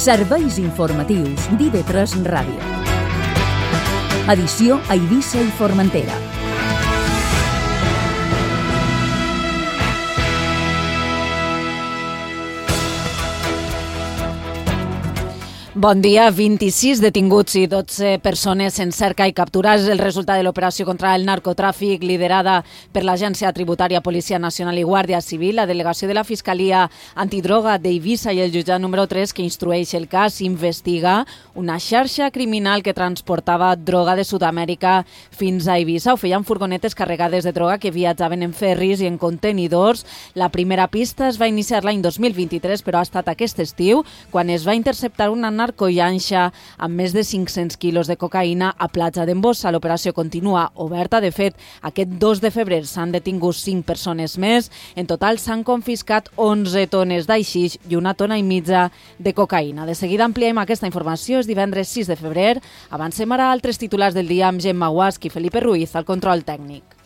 Serveis informatius d'IV3 Ràdio. Edició a Eivissa i Formentera. Bon dia. 26 detinguts i 12 persones en cerca i captura és el resultat de l'operació contra el narcotràfic liderada per l'Agència Tributària, Policia Nacional i Guàrdia Civil. La delegació de la Fiscalia Antidroga d'Eivissa i el jutjat número 3 que instrueix el cas investiga una xarxa criminal que transportava droga de Sud-amèrica fins a Eivissa. Ho feien furgonetes carregades de droga que viatjaven en ferris i en contenidors. La primera pista es va iniciar l'any 2023, però ha estat aquest estiu quan es va interceptar una narcollanxa amb més de 500 quilos de cocaïna a Platja d'en Bossa. L'operació continua oberta. De fet, aquest 2 de febrer s'han detingut 5 persones més. En total s'han confiscat 11 tones d'aixix i 1,5 tones de cocaïna. De seguida ampliem aquesta informació. És divendres 6 de febrer. Avancem ara a altres titulars del dia amb Gemma Guasc i Felipe Ruiz al control tècnic.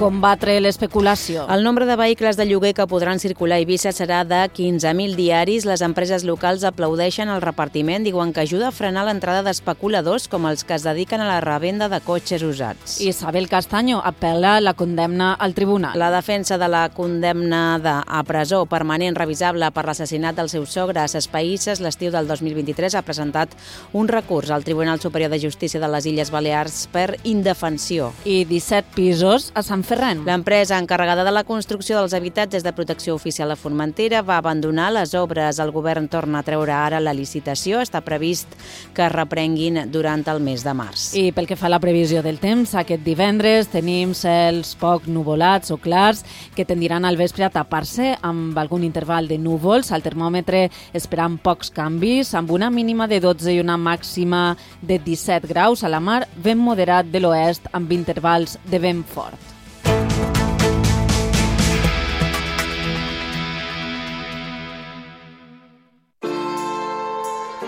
Combatre l'especulació. El nombre de vehicles de lloguer que podran circular a Eivissa serà de 15.000 diaris. Les empreses locals aplaudeixen el repartiment, diuen que ajuda a frenar l'entrada d'especuladors com els que es dediquen a la revenda de cotxes usats. Isabel Castaño apel·la la condemna al tribunal. La defensa de la condemnada a presó permanent revisable per l'assassinat del seu sogre a Ses Païsses l'estiu del 2023 ha presentat un recurs al Tribunal Superior de Justícia de les Illes Balears per indefensió. I 17 pisos a Sant Ferran. L'empresa encarregada de la construcció dels habitatges de protecció oficial a Formentera va abandonar les obres. El govern torna a treure ara la licitació. Està previst que es reprenguin durant el mes de març. I pel que fa a la previsió del temps, aquest divendres tenim cels poc nuvolats o clars que tendiran al vespre a tapar-se amb algun interval de núvols. Al termòmetre esperant pocs canvis, amb una mínima de 12 i una màxima de 17 graus. A la mar, vent moderat de l'oest amb intervals de vent fort.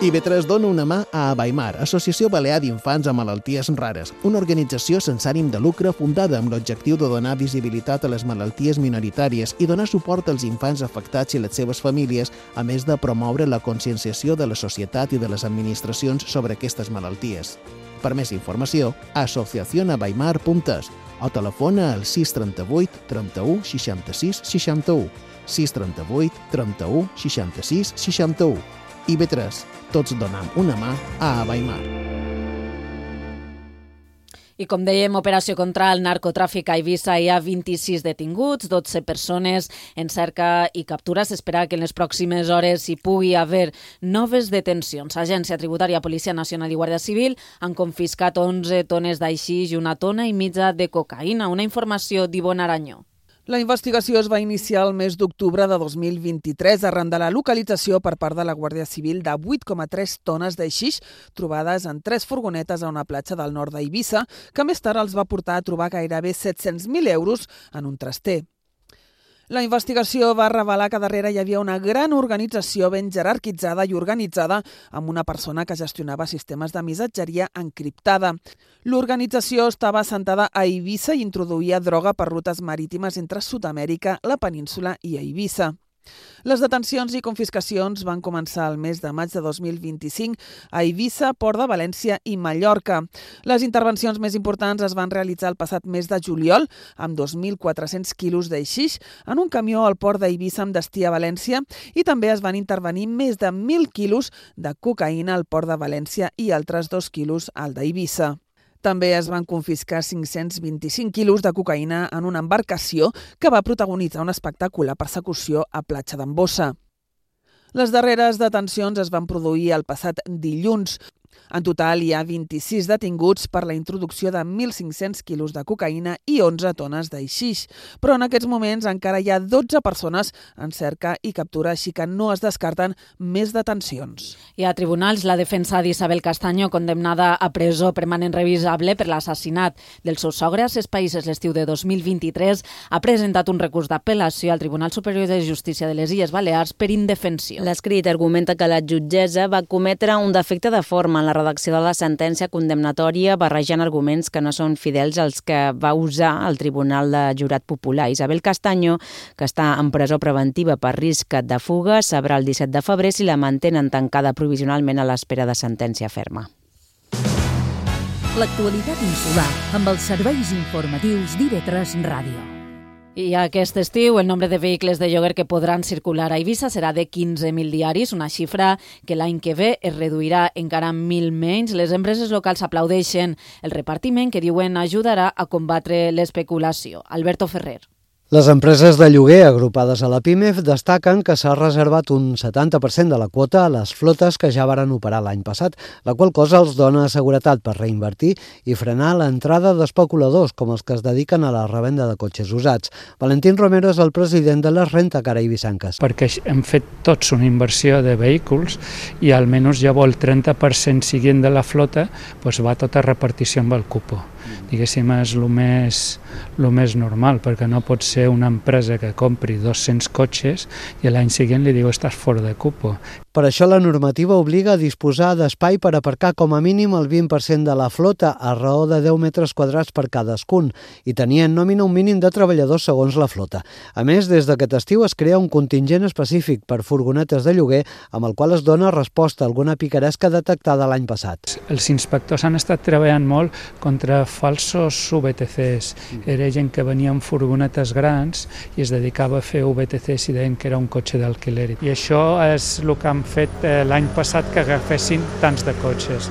IV3 dona una mà a Abaimar, Associació Balear d'Infants amb Malalties Rares, una organització sense ànim de lucre fundada amb l'objectiu de donar visibilitat a les malalties minoritàries i donar suport als infants afectats i les seves famílies, a més de promoure la conscienciació de la societat i de les administracions sobre aquestes malalties. Per més informació, asociacionabaimar.es o telefona al 638 31 66 61, 638 31 66 61. IV3, tots donem una mà a Abaimar. I com dèiem, operació contra el narcotràfic a Eivissa. Hi ha 26 detinguts, 12 persones en cerca i captura. S'espera que en les pròximes hores hi pugui haver noves detencions. Agència Tributària, Policia Nacional i Guàrdia Civil han confiscat 11 tones d'aixix i 1,5 tones de cocaïna. Una informació d'Ivonne Aranyó. La investigació es va iniciar el mes d'octubre de 2023 arran de la localització per part de la Guàrdia Civil de 8,3 tones d'aixix trobades en 3 furgonetes a una platja del nord d'Eivissa, que més tard els va portar a trobar gairebé 700.000 euros en un traster. La investigació va revelar que darrere hi havia una gran organització ben jerarquitzada i organitzada amb una persona que gestionava sistemes de missatgeria encriptada. L'organització estava assentada a Eivissa i introduïa droga per rutes marítimes entre Sud-amèrica, la península i Eivissa. Les detencions i confiscacions van començar el mes de maig de 2025 a Eivissa, Port de València i Mallorca. Les intervencions més importants es van realitzar el passat mes de juliol amb 2.400 quilos d'aixix en un camió al port d'Eivissa amb destí a València i també es van intervenir més de 1.000 quilos de cocaïna al port de València i altres 2 quilos al d'Eivissa. També es van confiscar 525 quilos de cocaïna en una embarcació que va protagonitzar una espectacular persecució a Platja d'en Bossa. Les darreres detencions es van produir el passat dilluns. En total hi ha 26 detinguts per la introducció de 1.500 quilos de cocaïna i 11 tones d'aixix. Però en aquests moments encara hi ha 12 persones en cerca i captura, així que no es descarten més detencions. I a tribunals, la defensa d'Isabel Castaño, condemnada a presó permanent revisable per l'assassinat del seu sogre a Ses Païsses l'estiu de 2023, ha presentat un recurs d'apel·lació al Tribunal Superior de Justícia de les Illes Balears per indefensió. L'escrit argumenta que la jutgessa va cometre un defecte de forma en la redacció de la sentència condemnatòria, barrejant arguments que no són fidels als que va usar el Tribunal de Jurat Popular. Isabel Castaño, que està en presó preventiva per risc de fuga, sabrà el 17 de febrer si la mantenen tancada provisionalment a l'espera de sentència ferma. L'actualitat insular amb els serveis informatius d'IV3 Ràdio. I aquest estiu el nombre de vehicles de lloguer que podran circular a Eivissa serà de 15.000 diaris, una xifra que l'any que ve es reduirà encara 1.000 menys. Les empreses locals aplaudeixen el repartiment que diuen ajudarà a combatre l'especulació. Alberto Ferrer. Les empreses de lloguer agrupades a la PIMEF destaquen que s'ha reservat un 70% de la quota a les flotes que ja varen operar l'any passat, la qual cosa els dona seguretat per reinvertir i frenar l'entrada d'especuladors com els que es dediquen a la revenda de cotxes usats. Valentín Romero és el president de les Rentacar Eivissenques. Perquè hem fet tots una inversió de vehicles i almenys ja el 30% siguient de la flota va tota repartició amb el cupo. Diguéssim, és el més normal, perquè no pot ser una empresa que compri 200 cotxes i l'any següent li diu estàs fora de cupo. Per això la normativa obliga a disposar d'espai per aparcar com a mínim el 20% de la flota a raó de 10 metres quadrats per cadascun i tenir en nòmina un mínim de treballadors segons la flota. A més, des d'aquest estiu es crea un contingent específic per furgonetes de lloguer amb el qual es dona resposta a alguna picaresca detectada l'any passat. Els inspectors han estat treballant molt contra falsos VTCs. Era gent que venia amb furgonetes grans i es dedicava a fer VTCs i deien que era un cotxe d'alquiler. I això és el que han fet l'any passat, que agafessin tants de cotxes.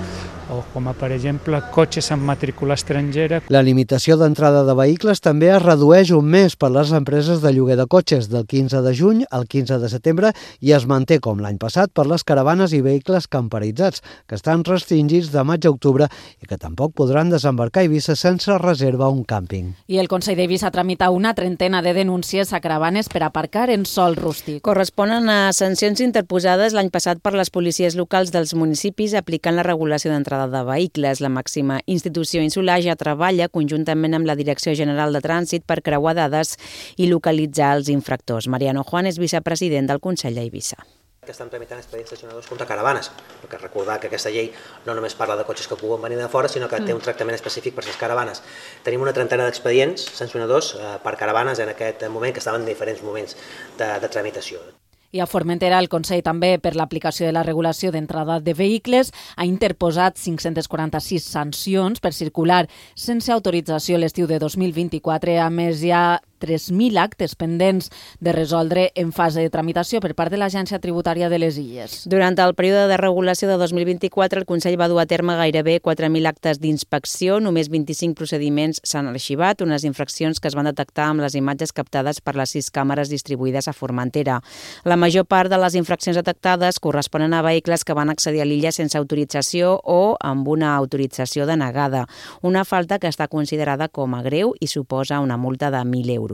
O com per exemple cotxes amb matrícula estrangera. La limitació d'entrada de vehicles també es redueix un mes per les empreses de lloguer de cotxes del 15 de juny al 15 de setembre i es manté com l'any passat per les caravanes i vehicles camperitzats, que estan restringits de maig a octubre i que tampoc podran desembarcar a Eivissa sense reserva un càmping. I el Consell d'Eivissa tramita una trentena de denúncies a caravanes per aparcar en sòl rústic. Corresponen a sancions interposades l'any passat per les policies locals dels municipis aplicant la regulació d'entrada de vehicles. La màxima institució insular ja treballa conjuntament amb la Direcció General de Trànsit per creuar dades i localitzar els infractors. Mariano Juan és vicepresident del Consell d'Eivissa. Que estan tramitant expedients sancionadors contra caravanes, perquè recordar que aquesta llei no només parla de cotxes que puguen venir de fora, sinó que té un tractament específic per les caravanes. Tenim una trentena d'expedients sancionadors per caravanes en aquest moment, que estaven en diferents moments de tramitació. I a Formentera, el Consell també, per l'aplicació de la regulació d'entrada de vehicles, ha interposat 546 sancions per circular sense autorització l'estiu de 2024. A més, hi ha 3.000 actes pendents de resoldre en fase de tramitació per part de l'Agència Tributària de les Illes. Durant el període de regulació de 2024, el Consell va dur a terme gairebé 4.000 actes d'inspecció, només 25 procediments s'han arxivat, unes infraccions que es van detectar amb les imatges captades per les 6 càmeres distribuïdes a Formentera. La major part de les infraccions detectades corresponen a vehicles que van accedir a l'illa sense autorització o amb una autorització denegada, una falta que està considerada com a greu i suposa una multa de 1.000 euros.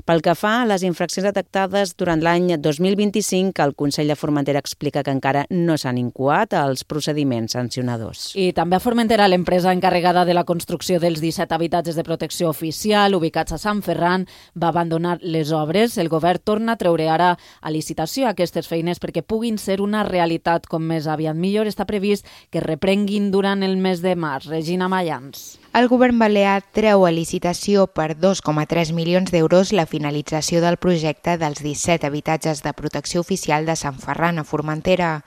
Pel que fa a les infraccions detectades durant l'any 2025, el Consell de Formentera explica que encara no s'han incoat els procediments sancionadors. I també a Formentera, l'empresa encarregada de la construcció dels 17 habitatges de protecció oficial ubicats a Sant Ferran va abandonar les obres. El govern torna a treure ara a licitació aquestes feines perquè puguin ser una realitat com més aviat millor. Està previst que reprenguin durant el mes de març. Regina Mayans. El govern balear treu a licitació per 2,3 milions d'euros la finalització del projecte dels 17 habitatges de protecció oficial de Sant Ferran a Formentera.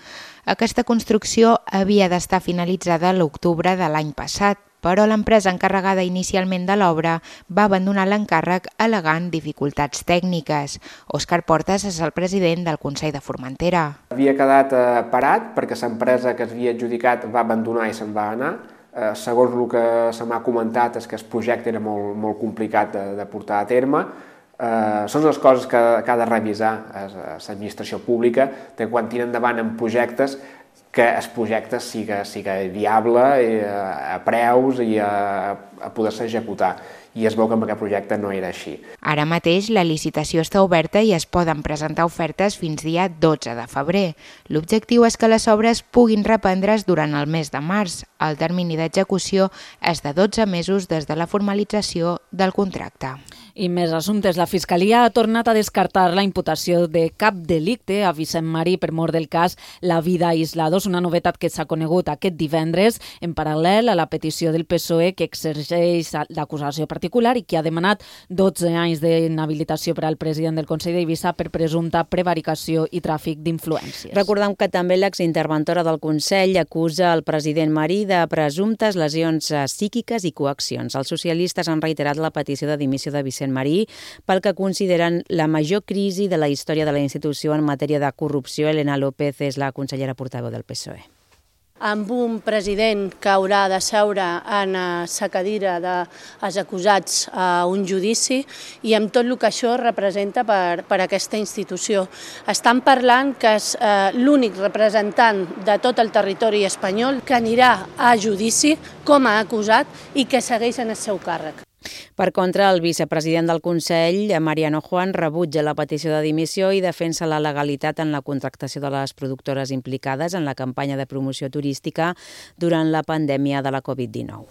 Aquesta construcció havia d'estar finalitzada a l'octubre de l'any passat, però l'empresa encarregada inicialment de l'obra va abandonar l'encàrrec al·legant dificultats tècniques. Òscar Portas és el president del Consell de Formentera. Havia quedat parat perquè l'empresa que s'havia adjudicat va abandonar i se'n va anar. Segons el que se m'ha comentat és que el projecte era molt complicat de portar a terme. Són les coses que ha de revisar l'administració pública, de quan tira endavant en projectes, que el projecte siga viable a preus i a poder-se executar. I es veu que amb aquest projecte no era així. Ara mateix la licitació està oberta i es poden presentar ofertes fins dia 12 de febrer. L'objectiu és que les obres puguin reprendre's durant el mes de març. El termini d'execució és de 12 mesos des de la formalització del contracte. I més assumptes. La Fiscalia ha tornat a descartar la imputació de cap delicte a Vicent Marí per mort del cas La Vida Aislados, una novetat que s'ha conegut aquest divendres en paral·lel a la petició del PSOE que exerceix d'acusació particular i que ha demanat 12 anys d'inhabilitació per al president del Consell d'Eivissa per presumpta prevaricació i tràfic d'influències. Recordem que també l'exinterventora del Consell acusa el president Marí de presumptes lesions psíquiques i coaccions. Els socialistes han reiterat la petició de dimissió de Vicent Marí pel que consideren la major crisi de la història de la institució en matèria de corrupció. Elena López és la consellera portaveu del PSOE. Amb un president que haurà de seure en sa cadira dels acusats a un judici i amb tot el que això representa per aquesta institució. Estan parlant que és l'únic representant de tot el territori espanyol que anirà a judici com a acusat i que segueix en el seu càrrec. Per contra, el vicepresident del Consell, Mariano Juan, rebutja la petició de dimissió i defensa la legalitat en la contractació de les productores implicades en la campanya de promoció turística durant la pandèmia de la Covid-19.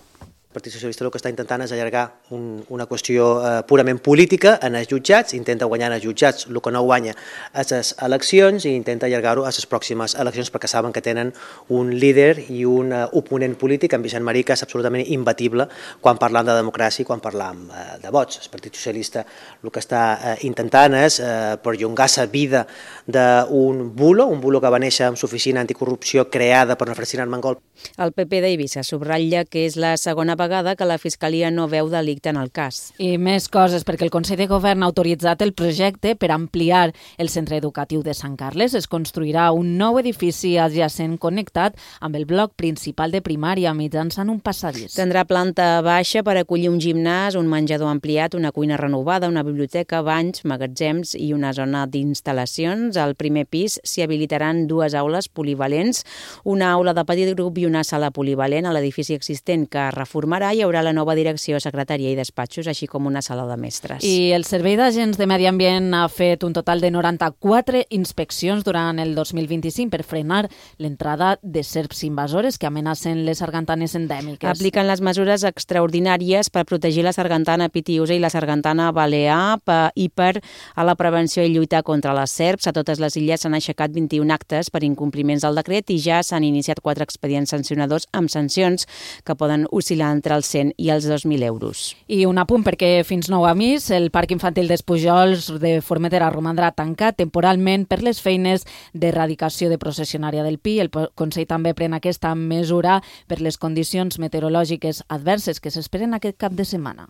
El Partit Socialista el que està intentant és allargar una qüestió purament política en els jutjats, intenta guanyar en els jutjats el que no guanya a les eleccions i intenta allargar-ho a les pròximes eleccions perquè saben que tenen un líder i un oponent polític, en Vicent Marí, que és absolutament imbatible quan parlam de democràcia i quan parlam de vots. El Partit Socialista el que està intentant és perllongar la vida d'un bulo que va néixer amb l'oficina anticorrupció creada per Ferdinand Mangol. El PP d'Eivissa subratlla que és la segona vegada que la Fiscalia no veu delicte en el cas. I més coses, perquè el Consell de Govern ha autoritzat el projecte per ampliar el centre educatiu de Sant Carles. Es construirà un nou edifici adjacent connectat amb el bloc principal de primària mitjançant un passadís. Tindrà planta baixa per acollir un gimnàs, un menjador ampliat, una cuina renovada, una biblioteca, banys, magatzems i una zona d'instal·lacions. Al primer pis s'hi habilitaran 2 aules polivalents, una aula de petit grup i una sala polivalent. A l'edifici existent que reformarà hi haurà la nova direcció, secretaria i despatxos, així com una sala de mestres. I el Servei d'Agents de Medi Ambient ha fet un total de 94 inspeccions durant el 2025 per frenar l'entrada de serps invasores que amenacen les sargantanes endèmiques. Apliquen les mesures extraordinàries per protegir la sargantana pitiusa i la sargantana balear i per a la prevenció i lluitar contra les serps. A totes les illes s'han aixecat 21 actes per incompliments del decret i ja s'han iniciat 4 expedients sancionadors amb sancions que poden oscil·lar entre els 100 i els 2.000 euros. I un apunt perquè fins nou avís el Parc Infantil d'Espujols de Formentera romandrà tancat temporalment per les feines d'erradicació de processionària del pi. El Consell també pren aquesta mesura per les condicions meteorològiques adverses que s'esperen aquest cap de setmana.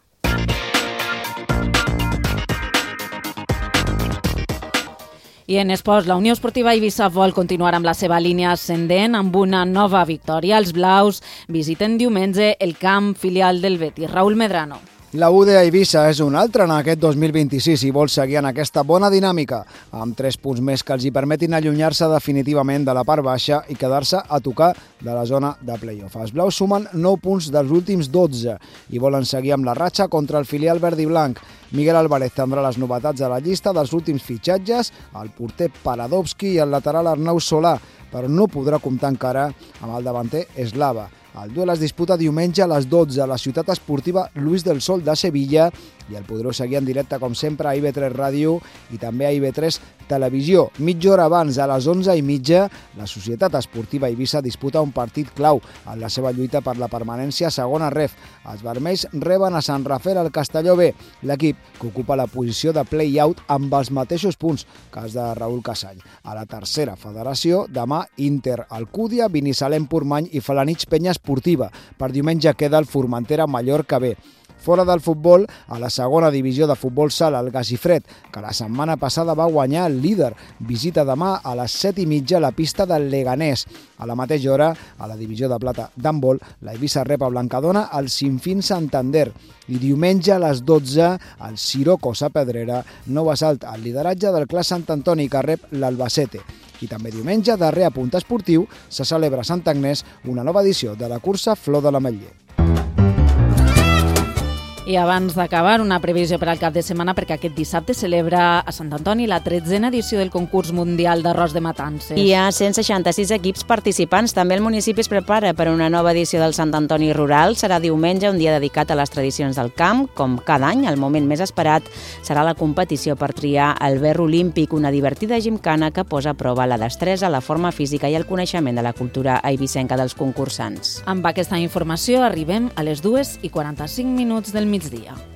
I en esports, la Unió Esportiva Eivissa vol continuar amb la seva línia ascendent amb una nova victòria. Els blaus visiten diumenge el camp filial del Betis. Raúl Medrano. La UD Eivissa és un altre en aquest 2026 i vol seguir en aquesta bona dinàmica, amb 3 punts més que els hi permetin allunyar-se definitivament de la part baixa i quedar-se a tocar de la zona de play-off. Els blaus sumen 9 punts dels últims 12 i volen seguir amb la ratxa contra el filial verd i blanc. Miguel Álvarez tindrà les novetats a la llista dels últims fitxatges, el porter Paradovski i el lateral Arnau Solà, però no podrà comptar encara amb el davanter Eslava. El duel es disputa diumenge a les 12 a la ciutat esportiva Luis del Sol de Sevilla i el podreu seguir en directe, com sempre, a IB3 Ràdio i també a IB3 Televisió. Mitja hora abans, a les 11:30, la Societat Esportiva Eivissa disputa un partit clau en la seva lluita per la permanència a segona ref. Els vermells reben a Sant Rafael al Castelló B, l'equip que ocupa la posició de play-out amb els mateixos punts que els de Raúl Casall. A la tercera federació, demà Inter Alcúdia, Binissalem Portmany i Felanitx Penya Esportiva. Per diumenge queda el Formentera Mallorca B. Fora del futbol, a la segona divisió de futbol sala, el Gazifred, que la setmana passada va guanyar el líder. Visita demà a les 7:30 la pista del Leganés. A la mateixa hora, a la divisió de plata d'handbol, la Eivissa rep a Blancadona el Sinfín Santander. I diumenge a les 12, el Siroco Sapedrera no va salt al lideratge del Clas Sant Antoni, que rep l'Albacete. I també diumenge, darrer apunt esportiu, se celebra a Sant Agnès una nova edició de la cursa Flor de l'Ametller. I abans d'acabar, una previsió per al cap de setmana, perquè aquest dissabte celebra a Sant Antoni la 13a edició del concurs mundial d'arròs de matances. Hi ha 166 equips participants. També el municipi es prepara per una nova edició del Sant Antoni Rural. Serà diumenge, un dia dedicat a les tradicions del camp. Com cada any, el moment més esperat serà la competició per triar el ver olímpic, una divertida gimcana que posa a prova la destresa, la forma física i el coneixement de la cultura eivissenca dels concursants. Amb aquesta informació arribem a les 2:45 del migdia.